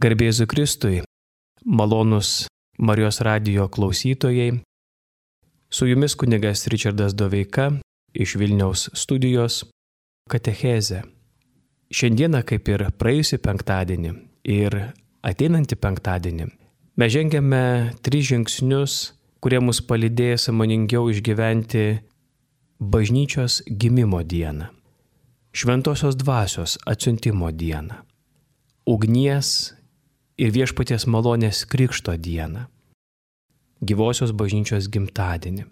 Garbė Jėzui Kristui, malonūs Marijos radijo klausytojai, su jumis kunigas Ričardas Doveika iš Vilniaus studijos Katechezė. Šiandieną, kaip ir praėjusį penktadienį ir ateinantį penktadienį, mes žengiame 3 žingsnius, kurie mus palydės sąmoningiau išgyventi bažnyčios gimimo dieną, šventosios dvasios atsiuntimo dieną, ugnies ir viešpaties malonės krikšto dieną, gyvosios bažnyčios gimtadienį.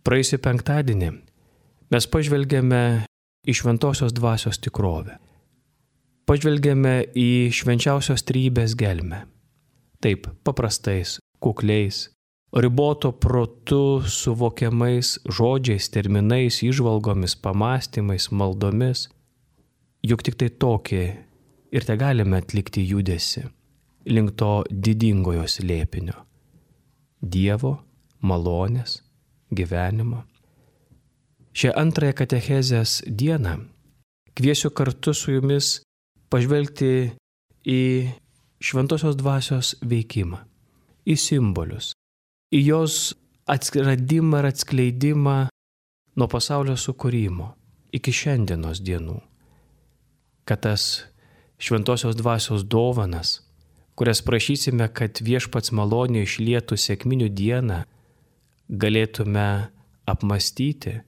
Praėjusį penktadienį mes pažvelgėme į šventosios dvasios tikrovę. Pažvelgėme į švenčiausios trejybės gelmę. Taip, paprastais, kukliais, riboto protu suvokiamais žodžiais, terminais, įžvalgomis, pamastymais, maldomis. Juk tik tai tokį ir te galime atlikti judesi link to didingojo slėpinio – Dievo, malonės, gyvenimo. Šią antrąją katechezės dieną kviesiu kartu su jumis pažvelgti į šventosios dvasios veikimą, į simbolius, į jos atsiradimą ir atskleidimą nuo pasaulio sukūrimo iki šiandienos dienų, kad tas šventosios dvasios dovanas, kurias prašysime, kad viešpats malonė išlietų sekminių dieną, galėtume apmastyti,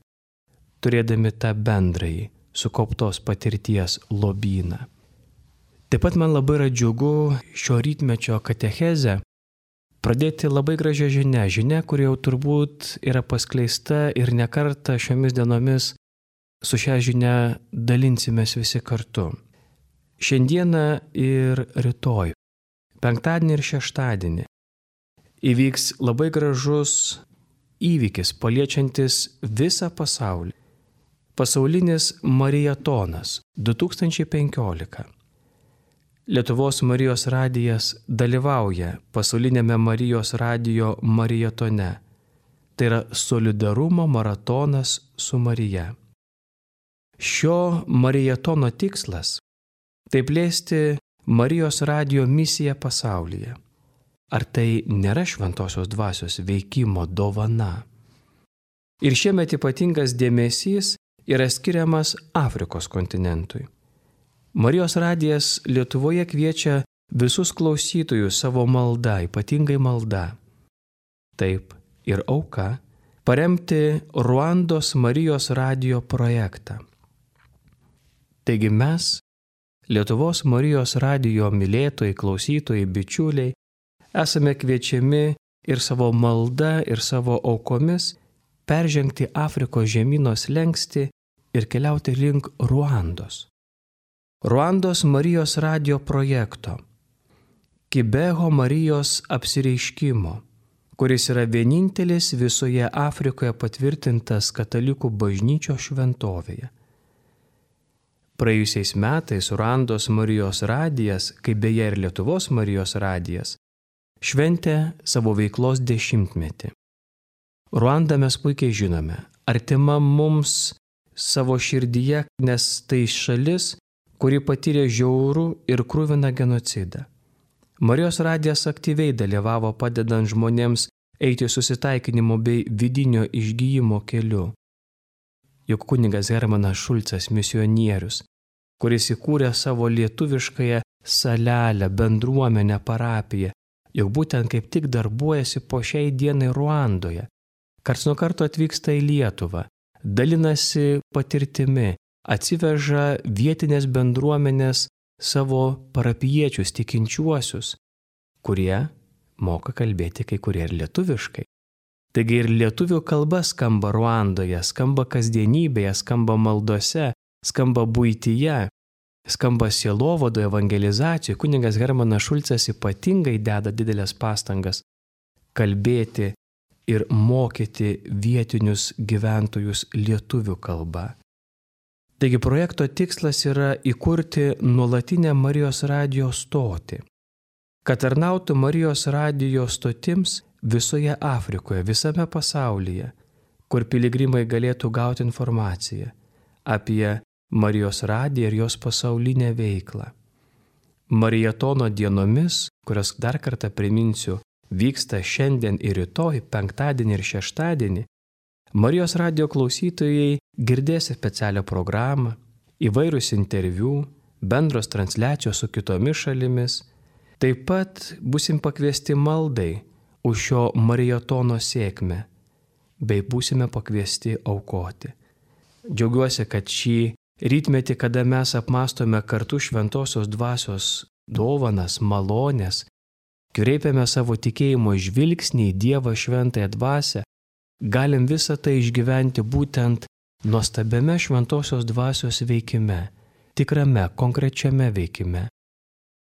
turėdami tą bendrąjį sukauptos patirties lobyną. Taip pat man labai yra džiugu šio rytmečio katechezę pradėti labai gražią žinią, kuri jau turbūt yra paskleista ir ne kartą šiomis dienomis su šią žinią dalinsimės visi kartu. Šiandieną ir rytoj, penktadienį ir šeštadienį, įvyks labai gražus įvykis paliečiantis visą pasaulį. Pasaulinis Marijatonas 2015. Lietuvos Marijos radijas dalyvauja pasaulinėme Marijos radijo Marijatone. Tai yra solidarumo maratonas su Marija. Šio Marijatono tikslas – tai plėsti Marijos radijo misiją pasaulyje. Ar tai nėra šventosios dvasios veikimo dovana? Ir šiemet ypatingas dėmesys yra skiriamas Afrikos kontinentui. Marijos radijas Lietuvoje kviečia visus klausytojus savo malda, ypatingai malda. Taip ir auka paremti Ruandos Marijos radijo projektą. Taigi mes, Lietuvos Marijos radijo mylėtojai, klausytojai, bičiuliai, esame kviečiami ir savo malda, ir savo aukomis peržengti Afrikos žemyno slenkstį ir keliauti link Ruandos. Ruandos Marijos radijo projekto, Kibeho Marijos apsireiškimo, kuris yra vienintelis visoje Afrikoje patvirtintas katalikų bažnyčios šventovėje. Praėjusiais metais Ruandos Marijos radijas, kaip beje ir Lietuvos Marijos radijas, šventė savo veiklos 10-metį. Ruandą mes puikiai žinome, artima mums savo širdyje, nes tai šalis, kuri patyrė žiaurų ir kruviną genocidą. Marijos radijas aktyviai dalyvavo padedant žmonėms eiti susitaikinimo bei vidinio išgyjimo keliu. Juk kunigas Hermanas Šulcas, misionierius, kuris įkūrė savo lietuviškąją salelę, bendruomenę, parapiją, juk būtent kaip tik darbuojasi po šiai dienai Ruandoje. Karts nuo karto atvyksta į Lietuvą, dalinasi patirtimi, atsiveža vietinės bendruomenės savo parapijiečius, tikinčiuosius, kurie moka kalbėti kai kurie ir lietuviškai. Taigi ir lietuvių kalba skamba Ruandoje, skamba kasdienybėje, skamba maldose, skamba buityje, skamba sielovadoje, evangelizacijoje. Kunigas Hermanas Šulcas ypatingai deda didelės pastangas kalbėti ir mokyti vietinius gyventojus lietuvių kalba. Taigi projekto tikslas yra įkurti nuolatinę Marijos radijo stotį, kad tarnautų Marijos radijo stotims visoje Afrikoje, visame pasaulyje, kur piligrimai galėtų gauti informaciją apie Marijos radiją ir jos pasaulinę veiklą. Marijatono dienomis, kurios dar kartą priminsiu, vyksta šiandien ir rytoj, penktadienį ir šeštadienį, Marijos radijo klausytojai girdės specialią programą, įvairius interviu, bendros transliacijos su kitomis šalimis. Taip pat būsim pakviesti maldai už šio marijatono sėkmę, bei būsime pakviesti aukoti. Džiaugiuosi, kad šį rytmetį, kada mes apmastome kartu šventosios dvasios dovanas, malonės, kreipiame savo tikėjimo žvilgsnį į Dievą šventąją dvasią, galim visą tai išgyventi būtent nuostabiame šventosios dvasios veikime, tikrame, konkrečiame veikime.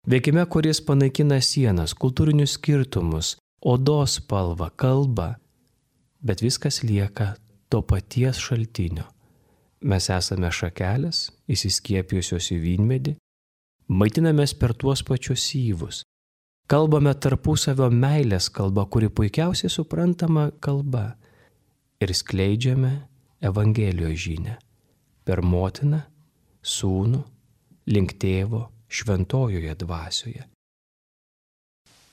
Veikime, kuris panaikina sienas, kultūrinius skirtumus, odos spalvą, kalbą, bet viskas lieka to paties šaltinio. Mes esame šakelės, įsiskiepijusios į vynmedį, maitinamės per tuos pačius syvus, kalbame tarpusavio meilės kalba, kuri puikiausiai suprantama kalba, ir skleidžiame Evangelijos žinią per motiną, sūnų, link tėvo šventojoje dvasioje.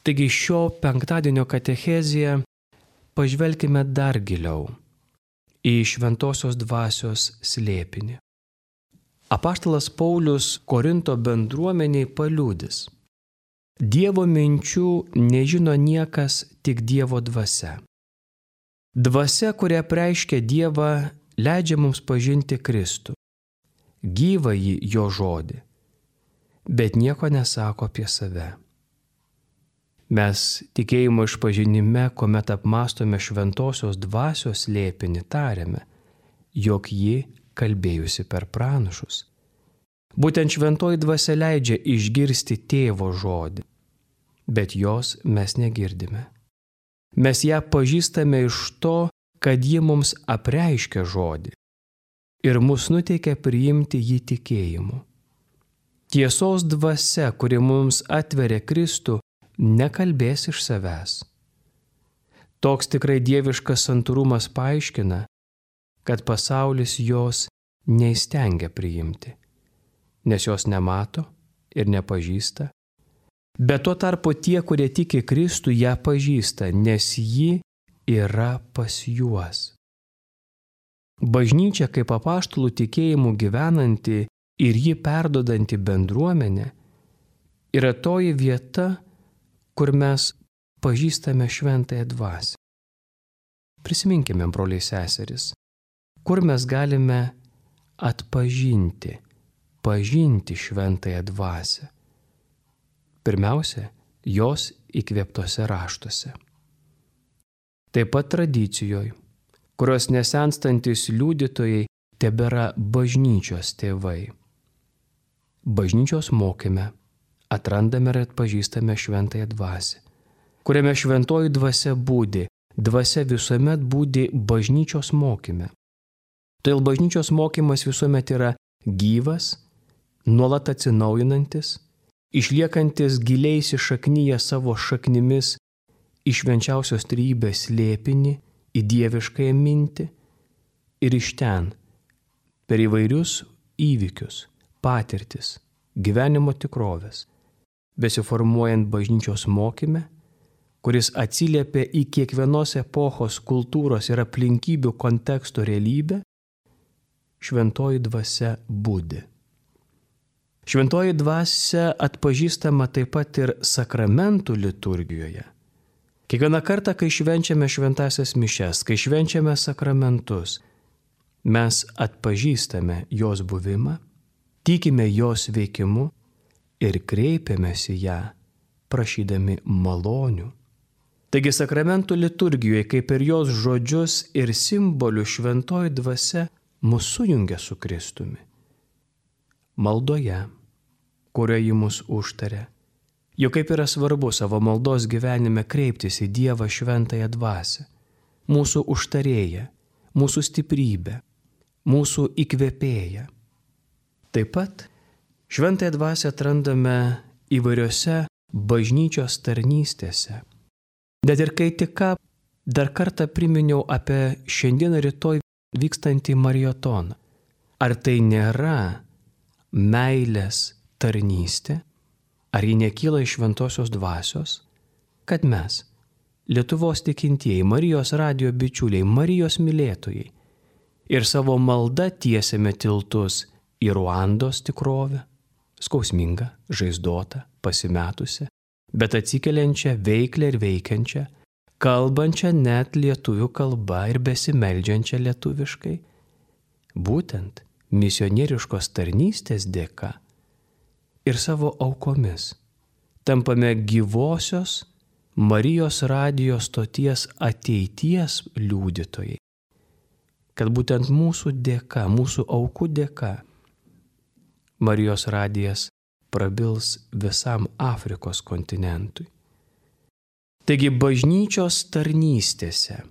Taigi šio penktadienio katechezėje pažvelkime dar giliau į šventosios dvasios slėpinį. Apaštalas Paulius Korinto bendruomeniai paliudys: Dievo minčių nežino niekas, tik Dievo dvasia. Dvasia, kuria apreiškia Dievą, leidžia mums pažinti Kristų, gyvąjį jo žodį, bet nieko nesako apie save. Mes tikėjimo išpažinime, kuomet apmastome šventosios dvasios slėpinį, tariame, jog ji kalbėjusi per pranašus. Būtent šventoji dvasia leidžia išgirsti tėvo žodį, bet jos mes negirdime. Mes ją pažįstame iš to, kad ji mums apreiškia žodį ir mus nuteikia priimti jį tikėjimu. Tiesos dvasia, kuri mums atveria Kristų, nekalbės iš savęs. Toks tikrai dieviškas santūrumas paaiškina, kad pasaulis jos neįstengia priimti, nes jos nemato ir nepažįsta. Bet tuo tarpu tie, kurie tiki Kristų, ją pažįsta, nes ji yra pas juos. Bažnyčia kaip apaštalų tikėjimų gyvenanti ir jį perduodanti bendruomenė yra toji vieta, kur mes pažįstame šventąją dvasią. Prisiminkime, broliai seserys, kur mes galime atpažinti, pažinti šventąją dvasią. Pirmiausia, jos įkvėptose raštuose. Taip pat tradicijoje, kurios nesenstantis liudytojai tebėra bažnyčios tėvai. Bažnyčios mokyme atrandame ir atpažįstame šventąją dvasią, kuriame šventoji dvasia būdi, dvasia visuomet būdi bažnyčios mokyme. Todėl bažnyčios mokymas visuomet yra gyvas, nuolat atsinaujinantis, išliekantis giliai įsišaknyję savo šaknimis į švenčiausios trejybės slėpinį, į dieviškąją mintį ir iš ten, per įvairius įvykius, patirtis, gyvenimo tikrovės, besiformuojant bažnyčios mokyme, kuris atsiliepia į kiekvienos epochos, kultūros ir aplinkybių konteksto realybę, šventoji dvasia budi. Šventoji dvasia atpažįstama taip pat ir sakramentų liturgijoje. Kiekvieną kartą, kai švenčiame šventąsias mišias, kai švenčiame sakramentus, mes atpažįstame jos buvimą, tikime jos veikimu ir kreipiamės į ją, prašydami malonių. Taigi sakramentų liturgijoje, kaip ir jos žodžius ir simbolių, šventoji dvasia mus sujungia su Kristumi. Maldoje, kurioje ji mus užtaria, juk kaip yra svarbu savo maldos gyvenime kreiptis į Dievą šventąją dvasią, mūsų užtarėją, mūsų stiprybę, mūsų įkvėpėją. Taip pat šventąją dvasią atrandame įvairiose bažnyčios tarnystėse. Net ir kai tik ką dar kartą priminiau apie šiandieną rytoj vykstantį marijatoną. Ar tai nėra meilės tarnystė? ar ji nekyla iš šventosios dvasios, kad mes, Lietuvos tikintieji, Marijos radijo bičiuliai, Marijos mylėtojai, ir savo malda tiesiame tiltus į Ruandos tikrovę, skausmingą, žaizdotą, pasimetusią, bet atsikeliančią, veiklę ir veikiančią, kalbančią net lietuvių kalba ir besimeldžiančią lietuviškai, būtent misionieriškos tarnystės dėka ir savo aukomis tampame gyvosios Marijos radijo stoties ateities liudytojai, kad būtent mūsų dėka, mūsų aukų dėka Marijos radijas prabils visam Afrikos kontinentui. Taigi bažnyčios tarnystėse,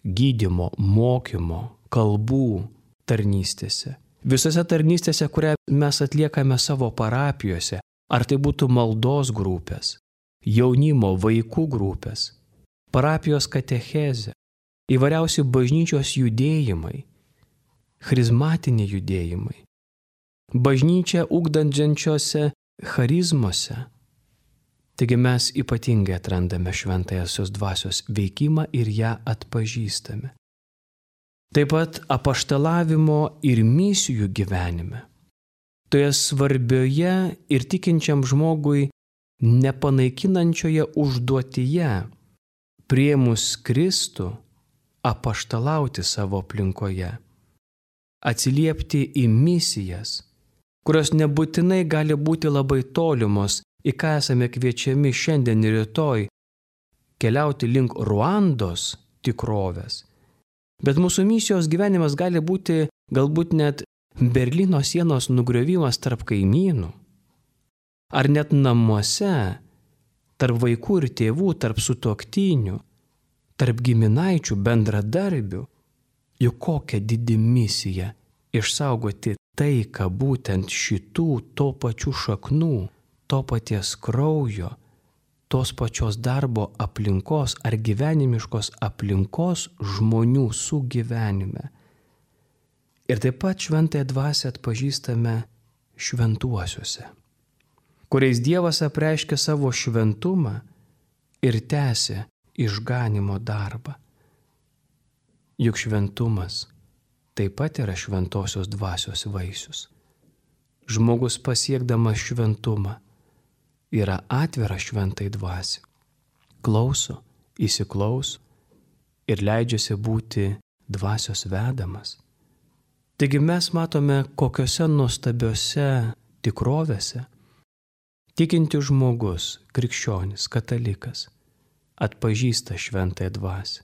gydymo, mokymo, kalbų tarnystėse, visose tarnystėse, kurią mes atliekame savo parapijose, ar tai būtų maldos grupės, jaunimo, vaikų grupės, parapijos katechezė, įvairiausi bažnyčios judėjimai, charizmatiniai judėjimai, bažnyčia ugdančiose charizmose. Taigi mes ypatingai atrandame šventąjosios dvasios veikimą ir ją atpažįstame. Taip pat apaštalavimo ir misijų gyvenime. Toje svarbioje ir tikinčiam žmogui nepanaikinančioje užduotyje priėmus Kristų apaštalauti savo aplinkoje, atsiliepti į misijas, kurios nebūtinai gali būti labai tolimos, į ką esame kviečiami šiandien ir rytoj, keliauti link Ruandos tikrovės. Bet mūsų misijos gyvenimas gali būti galbūt net Berlyno sienos nugriovimas tarp kaimynų, ar net namuose, tarp vaikų ir tėvų, tarp sutuoktinių, tarp giminaičių, bendradarbių. Juk kokia didi misija išsaugoti taiką būtent šitų to pačių šaknų, to paties kraujo, tos pačios darbo aplinkos ar gyvenimiškos aplinkos žmonių sugyvenime. Ir taip pat šventąją dvasią atpažįstame šventuosiuose, kuriais Dievas apreiškia savo šventumą ir tęsia išganimo darbą. Juk šventumas taip pat yra šventosios dvasios vaisius. Žmogus pasiekdamas šventumą yra atviras šventai dvasiai, klauso, įsiklauso ir leidžiasi būti dvasios vedamas. Taigi mes matome, kokiose nuostabiose tikrovėse tikintis žmogus, krikščionis, katalikas, atpažįsta šventąją dvasią,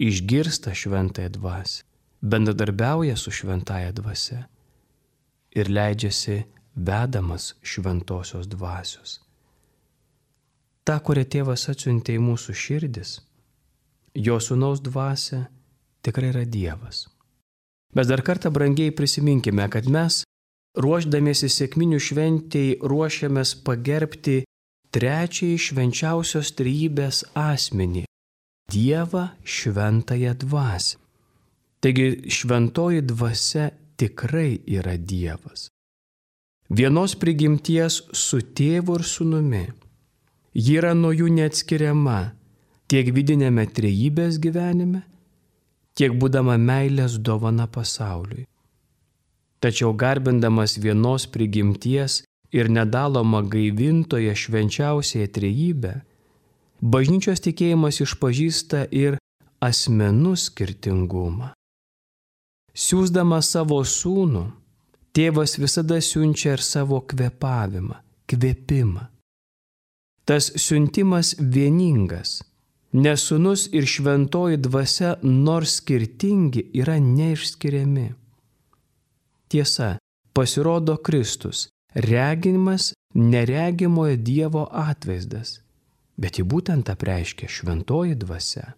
išgirsta šventąją dvasią, bendradarbiauja su šventąja dvasia ir leidžiasi vedamas šventosios dvasios. Ta, kurią Tėvas atsiuntė į mūsų širdis, jo sūnaus dvasia tikrai yra Dievas. Bet dar kartą brangiai prisiminkime, kad mes, ruošdamiesi sekminių šventei, ruošiamės pagerbti trečiąjį švenčiausios trejybės asmenį – Dievą šventąją dvasią. Taigi šventoji dvasia tikrai yra Dievas. Vienos prigimties su tėvu ir sūnumi. Ji yra nuo jų neatskiriama tiek vidinėme trejybės gyvenime, tiek būdama meilės dovana pasauliui. Tačiau garbindamas vienos prigimties ir nedalomą gaivintoje švenčiausiąją trejybę, bažnyčios tikėjimas išpažįsta ir asmenų skirtingumą. Siųsdamas savo sūnų, tėvas visada siunčia ir savo kvėpavimą, kvėpimą. Tas siuntimas vieningas, nes sūnus ir šventoji dvasia, nors skirtingi, yra neišskiriami. Tiesa, pasirodo Kristus, reginimas neregimojo Dievo atvaizdas, bet jį būtent apreiškia šventoji dvasia.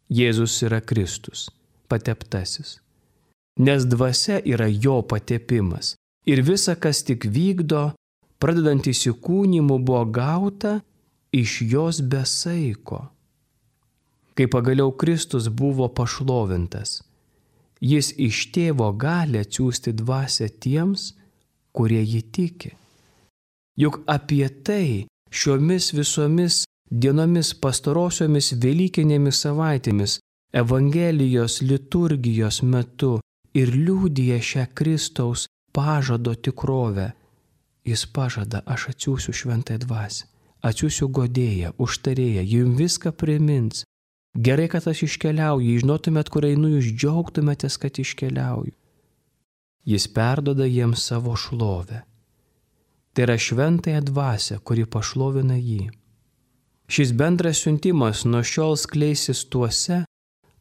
Jėzus yra Kristus, pateptasis, nes dvasia yra jo patepimas ir visa, kas tik vykdo, pradedant įsikūnimu, buvo gauta iš jos besaiko. Kai pagaliau Kristus buvo pašlovintas, jis iš tėvo gali atsiųsti dvasią tiems, kurie jį tiki. Juk apie tai šiomis visomis dienomis pastarosiomis Velykinėmis savaitėmis Evangelijos liturgijos metu ir liudija šią Kristaus pažado tikrovę. Jis pažada, aš atsiųsiu šventąją dvasią, atsiųsiu godėją, užtarėją, jums viską primins. Gerai, kad aš iškeliauju, jei žinotumėt, kur einu, jūs džiaugtumėtės, kad iškeliauju. Jis perdoda jiems savo šlovę. Tai yra šventąją dvasią, kuri pašlovina jį. Šis bendras siuntimas nuo šiol skleisis tuose,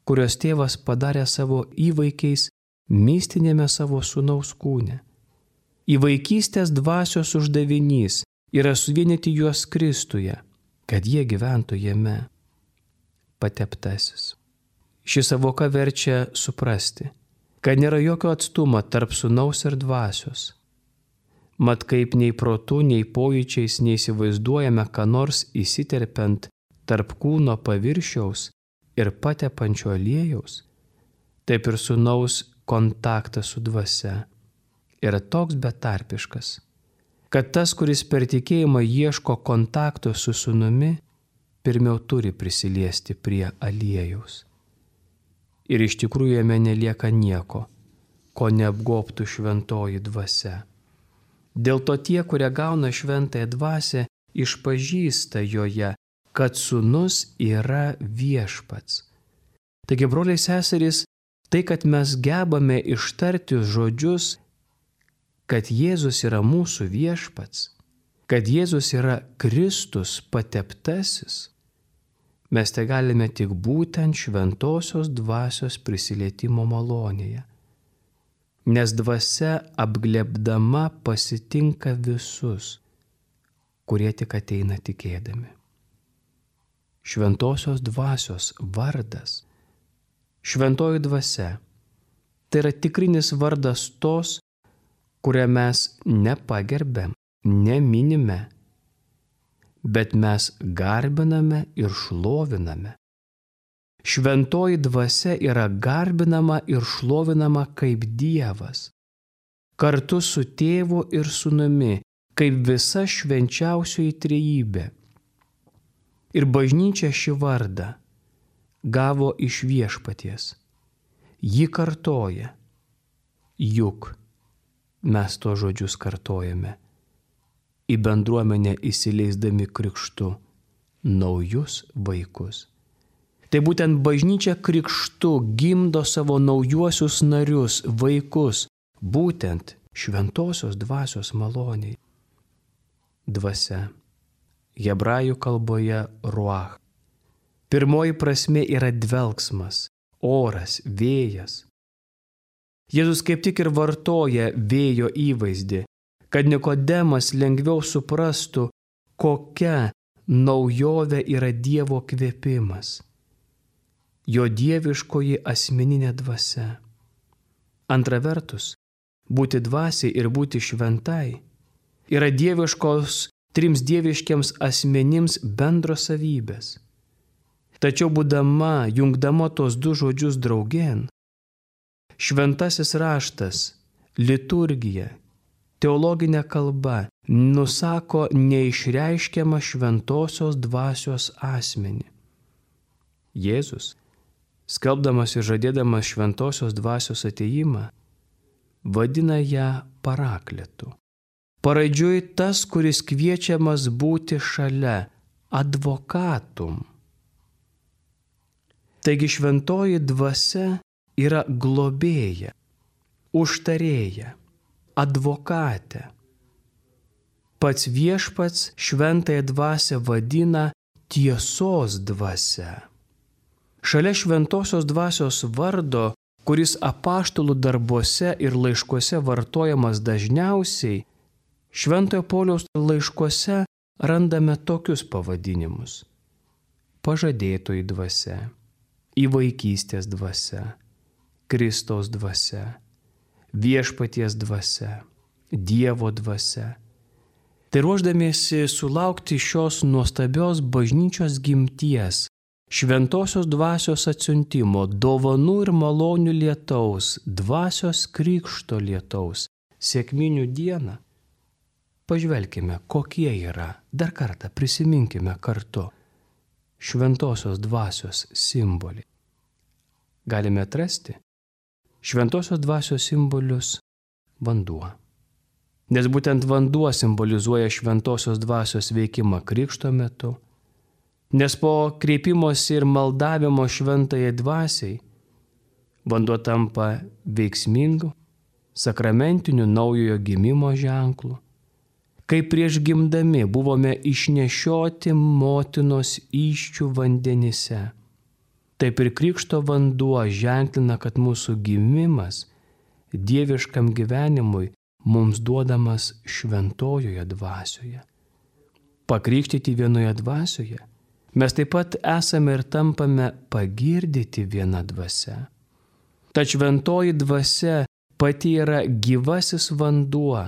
kurios tėvas padarė savo įvaikiais mistinėme savo sūnaus kūne. Įvaikystės dvasios uždavinys yra suvienyti juos Kristuje, kad jie gyventų jame. Pateptasis. Ši savoka verčia suprasti, kad nėra jokio atstumo tarp sūnaus ir dvasios. Mat kaip nei protu, nei pojūčiais neįsivaizduojame, ką nors įsiterpiant tarp kūno paviršiaus ir patepančio aliejaus, taip ir sūnaus kontaktas su dvasia yra toks betarpiškas, kad tas, kuris per tikėjimą ieško kontakto su sūnumi, pirmiau turi prisiliesti prie aliejaus. Ir iš tikrųjų jame nelieka nieko, ko neapgobtų šventoji dvasia. Dėl to tie, kurie gauna šventąją dvasią, išpažįsta joje, kad sūnus yra viešpats. Taigi, broliai seserys, tai, kad mes gebame ištarti žodžius, kad Jėzus yra mūsų viešpats, kad Jėzus yra Kristus pateptasis, mes tai galime tik būtent šventosios dvasios prisilietimo malonėje. Nes dvasia apglėbdama pasitinka visus, kurie tik ateina tikėdami. Šventosios dvasios vardas, šventoji dvasia, tai yra tikrinis vardas tos, kurią mes nepagerbėm, neminime, bet mes garbiname ir šloviname. Šventoji dvasia yra garbinama ir šlovinama kaip Dievas, kartu su tėvu ir sūnumi, kaip visa švenčiausioji trejybė. Ir bažnyčia šį vardą gavo iš viešpaties. Ji kartoja, juk mes to žodžius kartojame, į bendruomenę įsileisdami krikštu naujus vaikus. Tai būtent bažnyčia krikštu gimdo savo naujuosius narius, vaikus, būtent šventosios dvasios maloniai. Dvasia, hebrajų kalboje ruach. Pirmoji prasmė yra dvelksmas, oras, vėjas. Jėzus kaip tik ir vartoja vėjo įvaizdį, kad Nikodemas lengviau suprastų, kokia naujovė yra Dievo kvėpimas. Jo dieviškoji asmeninė dvasia. Antra vertus, būti dvasiai ir būti šventai yra dieviškos trims dieviškiams asmenims bendros savybės. Tačiau būdama, jungdama tos du žodžius draugėn, šventasis raštas, liturgija, teologinė kalba nusako neišreiškiamą šventosios dvasios asmenį. Jėzus, skelbdamas ir žadėdamas šventosios dvasios atėjimą, vadina ją parakletu. Paraidžiui tas, kuris kviečiamas būti šalia, advokatum. Taigi šventoji dvasia yra globėja, užtarėja, advokatė. Pats viešpats šventąją dvasią vadina tiesos dvasia. Šalia šventosios dvasios vardo, kuris apaštalų darbuose ir laiškuose vartojamas dažniausiai, Šventojo Pauliaus laiškuose randame tokius pavadinimus: pažadėtoji dvasia, įvaikystės dvasia, Kristaus dvasia, viešpaties dvasia, Dievo dvasia. Tai ruošdamiesi sulaukti šios nuostabios bažnyčios gimties, šventosios dvasios atsiuntimo, dovanų ir malonių lietaus, dvasios krikšto lietaus, sekminių dieną, pažvelkime, kokie yra, dar kartą prisiminkime kartu šventosios dvasios simboliai. Galime atrasti šventosios dvasios simbolius vanduo. Nes būtent vanduo simbolizuoja šventosios dvasios veikimą krikšto metu, nes po kreipimosi ir maldavimo šventajai dvasiai vanduo tampa veiksmingu, sakramentiniu naujojo gimimo ženklu. Kaip prieš gimdami buvome išnešioti motinos įsčių vandenyse, taip ir krikšto vanduo ženklina, kad mūsų gimimas dieviškam gyvenimui mums duodamas šventojoje dvasioje. Pakrikštyti vienoje dvasioje, mes taip pat esame ir tampame pagirdyti viena dvasia. Ta šventoji dvasia pati yra gyvasis vanduo,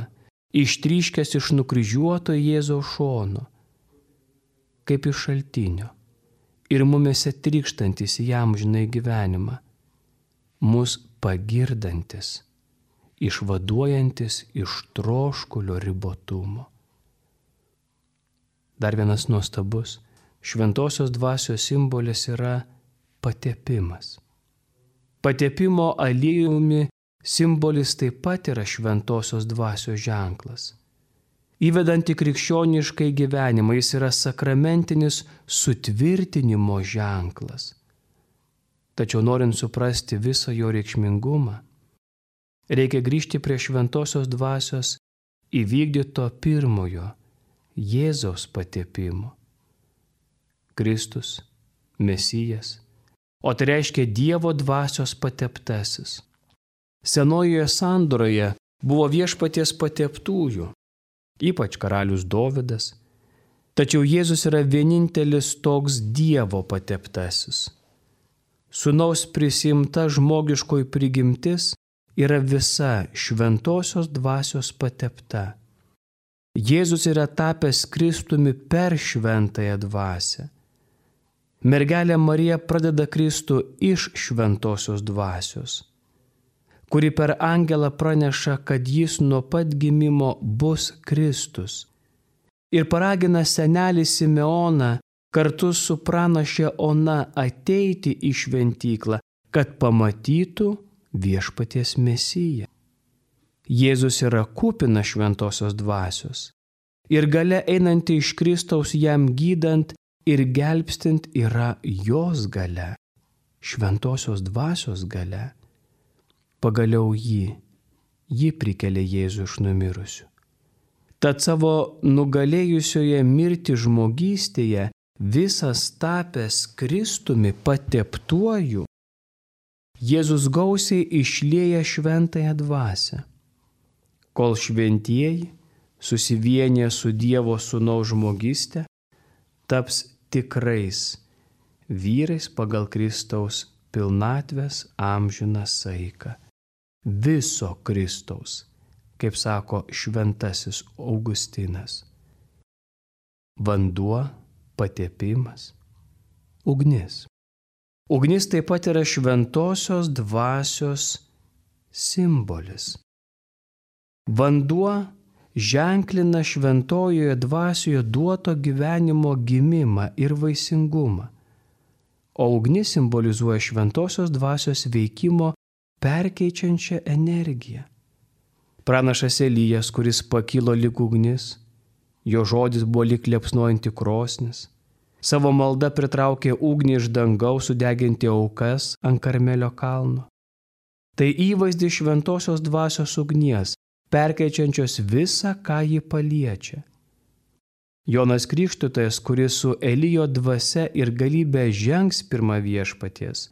ištryškęs iš nukryžiuoto Jėzaus šono, kaip iš šaltinio, ir mumėse trykštantis jam žinai gyvenimą, mus pagirdantis, išvaduojantis iš troškulio ribotumo. Dar vienas nuostabus šventosios dvasios simbolis yra patepimas. Patepimo aliejumi simbolis taip pat yra šventosios dvasios ženklas. Įvedant į krikščioniškai gyvenimą, jis yra sakramentinis sutvirtinimo ženklas. Tačiau norint suprasti visą jo reikšmingumą, reikia grįžti prie šventosios dvasios įvykdyto pirmojo Jėzaus patepimo. Kristus, Mesijas, o tai reiškia Dievo dvasios pateptasis. Senojoje sandoroje buvo viešpaties pateptųjų, ypač karalius Dovydas, tačiau Jėzus yra vienintelis toks Dievo pateptasis. Sūnaus prisimta žmogiškoji prigimtis yra visa šventosios dvasios patepta. Jėzus yra tapęs Kristumi per šventąją dvasią. Mergelė Marija pradeda Kristų iš šventosios dvasios, kuri per angelą praneša, kad jis nuo pat gimimo bus Kristus. Ir paragina senelį Simeoną kartu su pranaše Ona ateiti į šventyklą, kad pamatytų viešpaties Mesiją. Jėzus yra kupinas šventosios dvasios ir galia einanti iš Kristaus jam gydant ir gelbstint yra jos galia, šventosios dvasios galia. Pagaliau ji prikelia Jėzų iš numirusių. Tad savo nugalėjusioje mirtį žmogystėje visas tapęs Kristumi pateptuoju, Jėzus gausiai išlieja šventąją dvasią, kol šventieji, susivienyje su Dievo Sūnaus žmogystė, taps tikrais vyrais pagal Kristaus pilnatvės amžiną saiką. Viso Kristaus, kaip sako šventasis Augustinas. Vanduo, patepimas, ugnis. Ugnis taip pat yra šventosios dvasios simbolis. Vanduo ženklina šventojoje dvasioje duoto gyvenimo gimimą ir vaisingumą, o ugnis simbolizuoja šventosios dvasios veikimo perkeičiančią energiją. Pranašas Elijas, kuris pakilo lyg ugnis, jo žodis buvo lyg liepsnojanti krosnis, savo malda pritraukė ugnį iš dangaus sudeginti aukas ant Karmelio kalno. Tai įvaizdis šventosios dvasios ugnies, perkeičiančios visą, ką ji paliečia. Jonas Krikštytojas, kuris su Elijo dvasia ir galybė žengs pirmą viešpaties,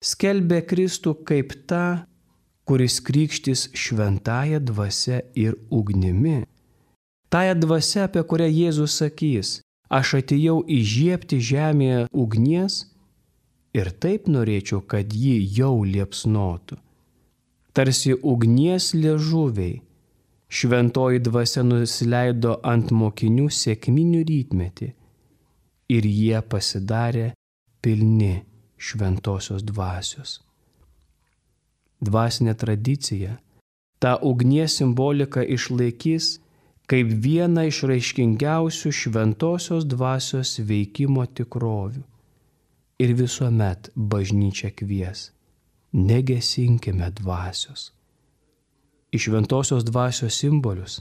skelbė Kristų kaip tą, kuris krikštys šventąją dvasia ir ugnimi. Tąją dvasia, apie kurią Jėzus sakys, aš atėjau įžiebti žemėje ugnies ir taip norėčiau, kad ji jau liepsnotų. Tarsi ugnies liežuviai, šventoji dvasia nusileido ant mokinių sekminių rytmetį ir jie pasidarė pilni šventosios dvasios. Dvasinė tradicija tą ugnies simboliką išlaikys, kaip vieną iš raiškingiausių šventosios dvasios veikimo tikrovių. Ir visuomet bažnyčia kvies: negesinkime dvasios. Į šventosios dvasios simbolius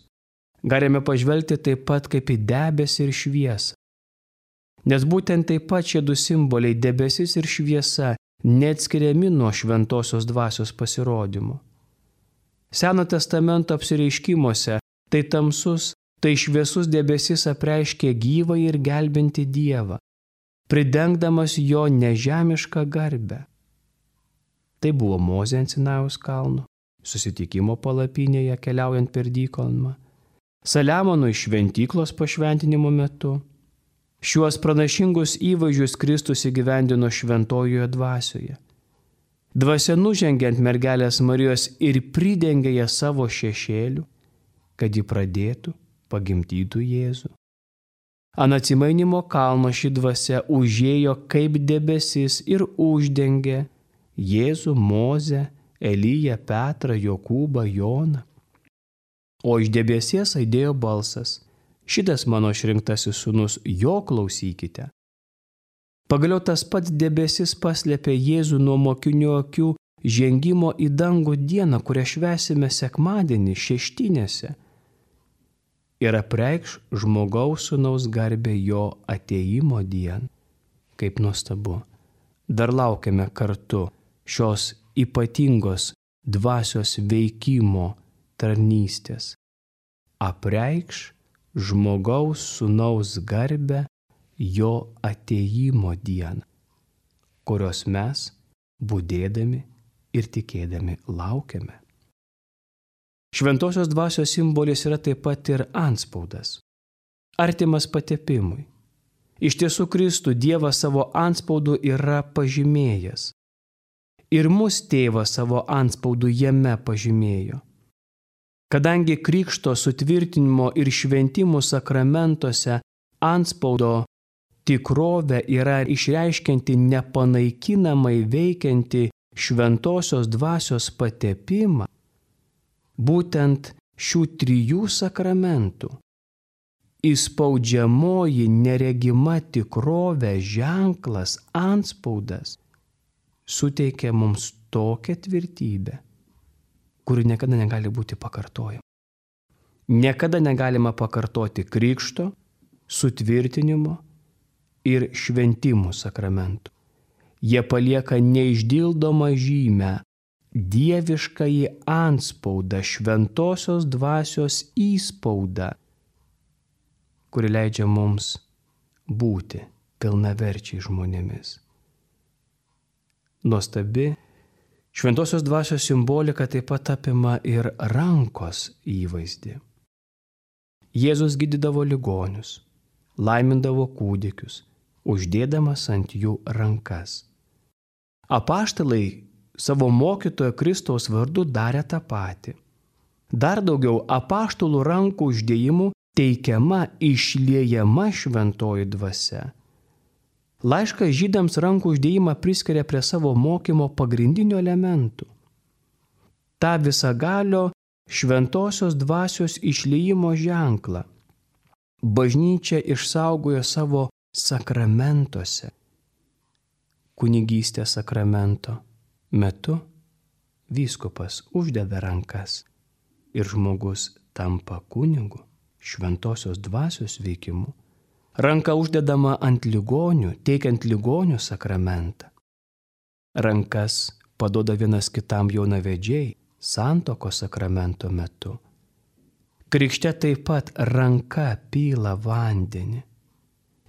galime pažvelgti taip pat kaip į debesį ir šviesą. Nes būtent taip pat šie du simboliai, debesis ir šviesa, neatskiriami nuo šventosios dvasios pasirodymo. Seno testamento apsireiškimuose tai tamsus, tai šviesus debesis apreiškė gyvą ir gelbinti Dievą, pridengdamas jo nežemišką garbę. Tai buvo Mozė ant Sinajaus kalno, susitikimo palapinėje keliaujant per dykumą, Saliamonui šventyklos pašventinimo metu. Šiuos pranašingus įvaizdžius Kristus įgyvendino šventojoje dvasioje. Dvasia nužengė ant mergelės Marijos ir pridengė ją savo šešėliu, kad ji pradėtų, pagimdytų Jėzų. Ant atsimainymo kalno ši dvasia užėjo kaip debesis ir uždengė Jėzų, Mozę, Eliją, Petrą, Jokūbą, Joną. O iš debesies aidėjo balsas: šitas mano išrinktasis sūnus, jo klausykite. Pagaliau tas pats debesis paslėpė Jėzų nuo mokinių akių žengimo į dangų dieną, kurią švęsime sekmadienį šeštinėse, ir apreikš žmogaus sūnaus garbę jo atėjimo dieną. Kaip nuostabu. Dar laukiame kartu šios ypatingos dvasios veikimo tarnystės. Apreikš žmogaus sūnaus garbę jo atėjimo dieną, kurios mes, budėdami ir tikėdami, laukiame. Šventosios dvasios simbolis yra taip pat ir antspaudas, artimas patepimui. Iš tiesų Kristų Dievas savo antspaudu yra pažymėjęs. Ir mus Tėvas savo antspaudu jame pažymėjo. Kadangi krikšto sutvirtinimo ir šventimų sakramentuose antspaudo tikrovė yra išreiškianti nepanaikinamai veikianti šventosios dvasios patepimą, būtent šių trijų sakramentų įspaudžiamoji neregima tikrovė, ženklas, antspaudas suteikia mums tokią tvirtybę, kuri niekada negali būti pakartojama. Niekada negalima pakartoti krikšto, sutvirtinimo ir šventimų sakramentų. Jie palieka neišdildomą žymę, dieviškąjį antspaudą, šventosios dvasios įspaudą, kuri leidžia mums būti pilnaverčiai žmonėmis. Nuostabi šventosios dvasios simbolika taip pat apima ir rankos įvaizdį. Jėzus gydydavo ligonius, laimindavo kūdikius, uždėdamas ant jų rankas. Apaštalai savo mokytojo Kristaus vardu darė tą patį. Dar daugiau, apaštalų rankų uždėjimų teikiama, išliejama šventoji dvasia. Laiškas žydams rankų uždėjimą priskiria prie savo mokymo pagrindinių elementų. Ta visagalio šventosios dvasios išliejimo ženklą bažnyčia išsaugojo savo sakramentuose. Kunigystės sakramento metu vyskupas uždeda rankas ir žmogus tampa kunigu šventosios dvasios veikimu. Ranka uždedama ant ligonių, teikiant ligonių sakramentą. Rankas paduoda vienas kitam jaunavedžiai santuokos sakramento metu. Krikšte taip pat ranka pila vandenį.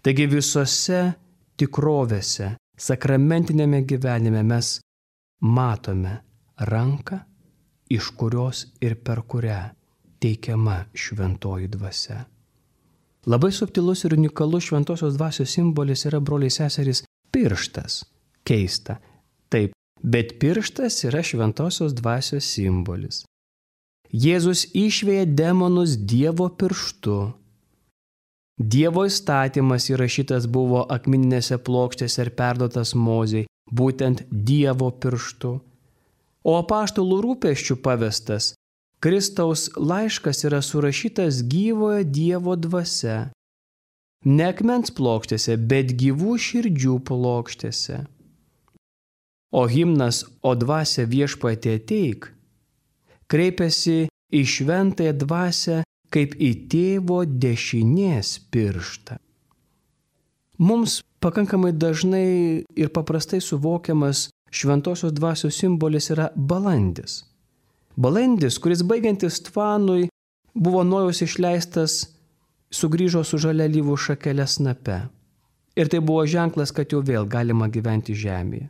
Taigi visose tikrovėse, sakramentinėme gyvenime mes matome ranką, iš kurios ir per kurią teikiama šventoji dvasia. Labai subtilus ir unikalus šventosios dvasios simbolis yra, broliai seserys, pirštas. Keista. Taip, bet pirštas yra šventosios dvasios simbolis. Jėzus išvėja demonus Dievo pirštu. Dievo įstatymas įrašytas buvo akmeninėse plokštėse ir perduotas Mozei, būtent Dievo pirštu. O apaštalų rūpesčių pavestas Kristaus laiškas yra surašytas gyvojo Dievo dvasia. Ne akmens plokštėse, bet gyvų širdžių plokštėse. O himnas O dvasia viešpatie ateik kreipiasi į šventąją dvasią kaip į tėvo dešinės pirštą. Mums pakankamai dažnai ir paprastai suvokiamas šventosios dvasios simbolis yra balandis. Balandis, kuris baigiantis tvanui buvo Nojaus išleistas, sugrįžo su žalia alyvų šakele snape. Ir tai buvo ženklas, kad jau vėl galima gyventi žemėje.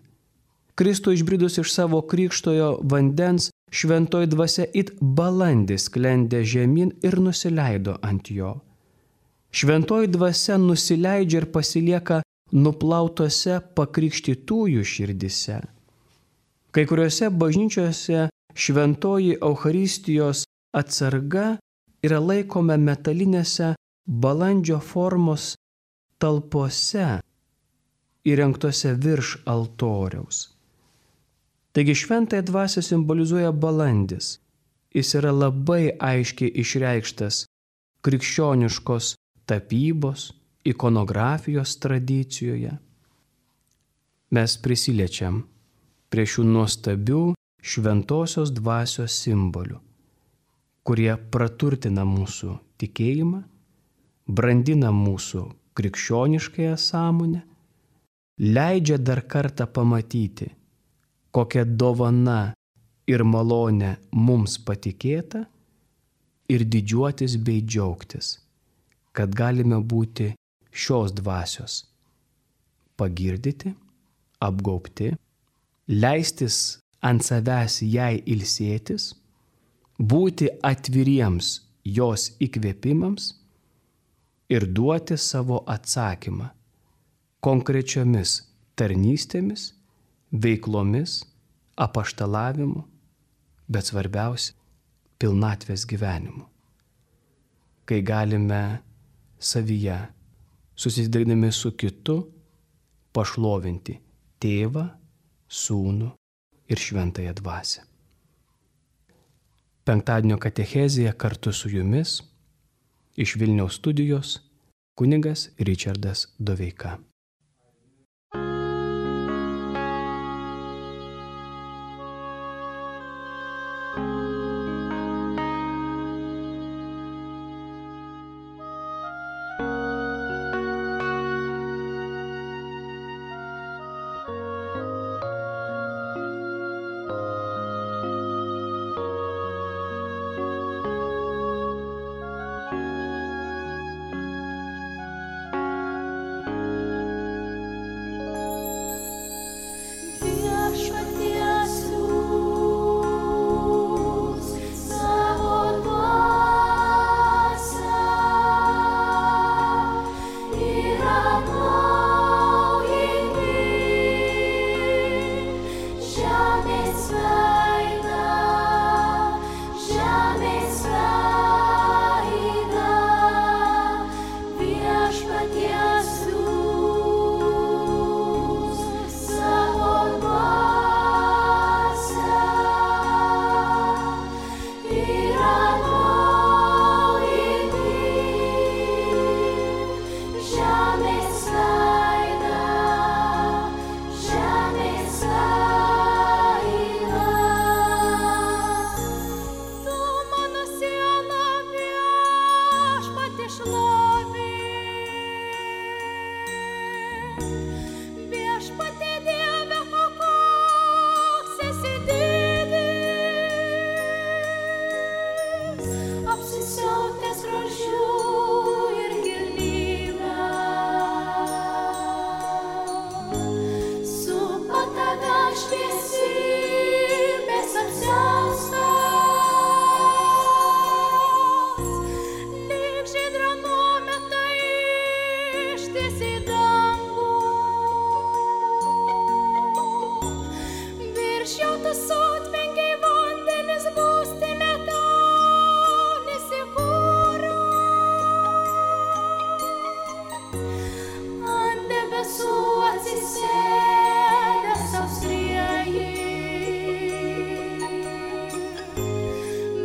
Kristui išbridus iš savo krikštojo vandens, šventoji dvasia it balandis sklendė žemyn ir nusileido ant jo. Šventoji dvasia nusileidžia ir pasilieka nuplautose pakrikštytųjų širdise. Kai kuriuose bažnyčiose šventoji Eucharistijos atsarga yra laikoma metalinėse balandžio formos talpose įrengtose virš altoriaus. Taigi šventąją dvasią simbolizuoja balandis. Jis yra labai aiškiai išreikštas krikščioniškos tapybos, ikonografijos tradicijoje. Mes prisiliečiam prie šių nuostabių šventosios dvasios simbolių, kurie praturtina mūsų tikėjimą, brandina mūsų krikščioniškąją sąmonę, leidžia dar kartą pamatyti, kokia dovana ir malonė mums patikėta ir didžiuotis bei džiaugtis, kad galime būti šios dvasios pagirdyti, apgaubti, leistis ant savęs jai ilsėtis, būti atviriems jos įkvėpimams ir duoti savo atsakymą konkrečiomis tarnystėmis, veiklomis, apaštalavimu, bet svarbiausia – pilnatvės gyvenimu. Kai galime savyje, susidarydami su kitu, pašlovinti Tėvą, Sūnų ir Šventąją Dvasią. Penktadienio katechezėje kartu su jumis iš Vilniaus studijos kunigas Ričardas Doveika.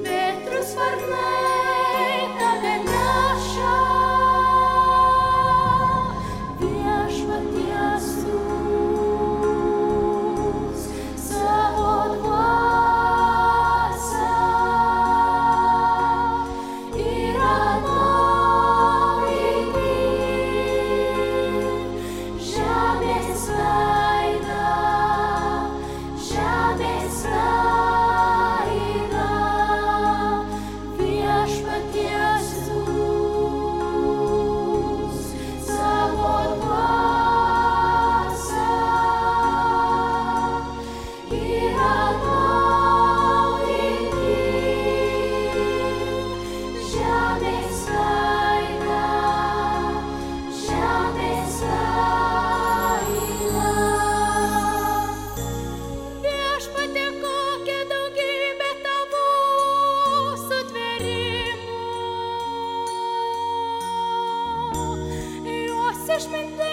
Bet išmintis.